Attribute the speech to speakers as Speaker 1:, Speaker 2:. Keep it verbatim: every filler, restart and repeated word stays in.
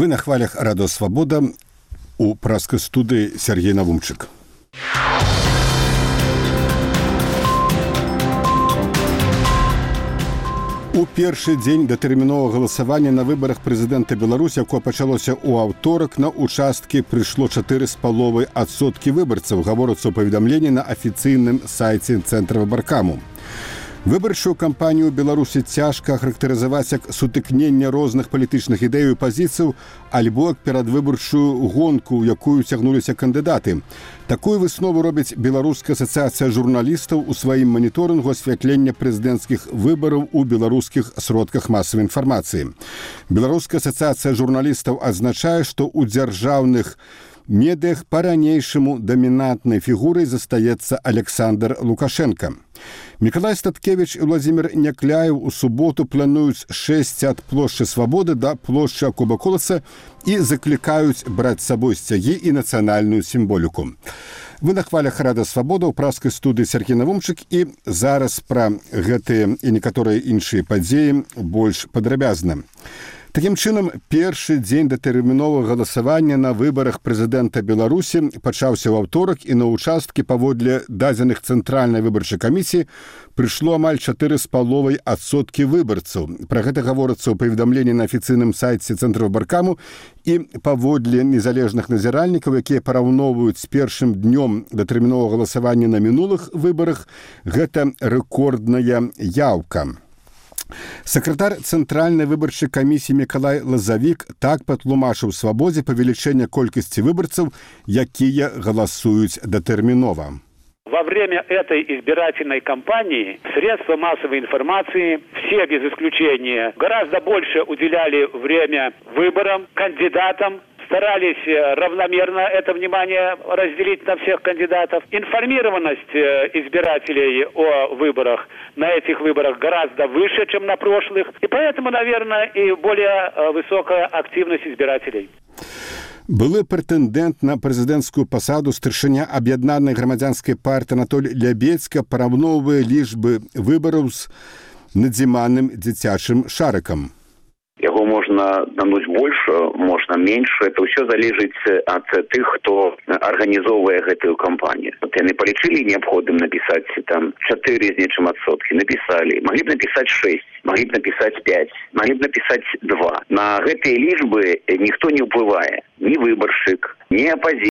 Speaker 1: Вы на хвалях Радио Свобода, у праской студии Сергей Навумчик. У першы дзень датэрміновага галасавання на выбарах прэзідэнта Беларусі, якое пачалося ў аўторак, на участкі прыйшло чатыры з паловай адсоткі выбарцаў, гаворыцца ў паведамленні на афіцыйным сайце Цэнтра выбаркаму. Выбарчую кампанію ў Беларусі цяжка ахарактарызаваць як сутыкненне розных палітычных ідэй і пазіцыяў альбо як перадвыбарчую гонку, у якую цягнуліся кандыдаты. Такую выснову робіць Беларуская асацыяцыя журналістаў у сваім маніторынгу асвятлення прэзідэнцкіх выбараў у беларускіх сродках масавай інфармацыі. Беларуская асацыяцыя журналістаў адзначае, што ў дзяржаўных медыях па-ранейшаму дамінантнай фігурай застаецца Александр Лукашенко. Мікалай Статкевіч і Владзімір Някляеў у суботу плануюць шэсці ад плошчы Свабоды да плошчы Акуба Коласа і заклікаюць браць з сабой сцягі і нацыянальную сімволіку. Вы на хвалях Радио Свобода ў праскай студыі Сергей Навумчик, і зараз пра гэтыя і некаторыя іншыя падзеі больш падрабязна. Такім чынам, першы дзень датэрміновага галасавання на выбарах прэзідэнта Беларусі пачаўся ў аўторак, і на участкі паводле дадзеных Цэнтральнай выбарчай камісіі прыйшло амаль чатыры з паловай адсоткі выбарцаў. Пра гэта гаворыцца ў паведамленні на афіцыйным сайце Цэнтра выбаркаму, і паводле незалежных назіральнікаў, якія параўноўваюць з першым днём датэрміновага галасавання на мінулых выбарах, гэта рэкордная яўка. Сакратар Цэнтральнай выбарчай камісіі Мікалай Лазавік так патлумачыў Свабодзе павелічэнне колькасці выбарцаў, якія галасуюць датэрмінова.
Speaker 2: Во время этой избирательной кампании средства массовой информации, все без исключения, гораздо больше уделяли время выборам, кандидатам, старались равномерно это внимание разделить на всех кандидатов. Информированность избирателей о выборах на этих выборах гораздо выше, чем на прошлых. И поэтому, наверное, и более высокая активность избирателей.
Speaker 1: Былы прэтэндэнт на прэзідэнцкую пасаду старшыня аб'яднанай грамадзянскай партыі Анатоль Лябедзька параўноўвае лічбы выбараў з надзіманым дзіцячым шарыкам.
Speaker 3: Яго можна намнуць больш, можна менш. Это ўсё залежыць ад тых, хто арганізоўвае гэтую кампанію. Вот яны палічылі неабходным напісаць там чатыры з нечым адсоткі. Напісалі. Маглі б напісаць шэсць, маглі б напісаць пяць, маглі б напісаць два. На гэтыя лічбы ніхто не ўплывае. Ні выбаршчык, ні апазіцыя.